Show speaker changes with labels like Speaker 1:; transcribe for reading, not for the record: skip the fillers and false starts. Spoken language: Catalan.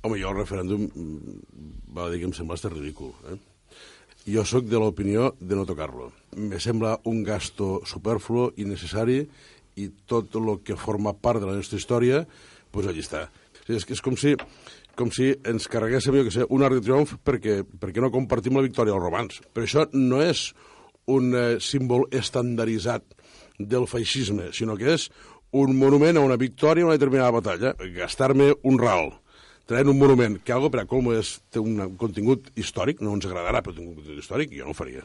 Speaker 1: Home, jo el referèndum va dir que em sembla ridícul. Jo sóc de l'opinió de no tocar-lo. Me sembla un gasto superfluo, innecessari, i tot el que forma part de la nostra història, doncs allà està. És com si ens carreguéssim, jo que sé, un arc de triomf perquè no compartim la victòria dels romans. Però això no és un símbol estandarditzat del feixisme, sinó que és un monument a una victòria a una determinada batalla. Gastar-me un ral traient un monument que algo per a com té un contingut històric, no ens agradarà, però té un contingut històric, jo no ho faria.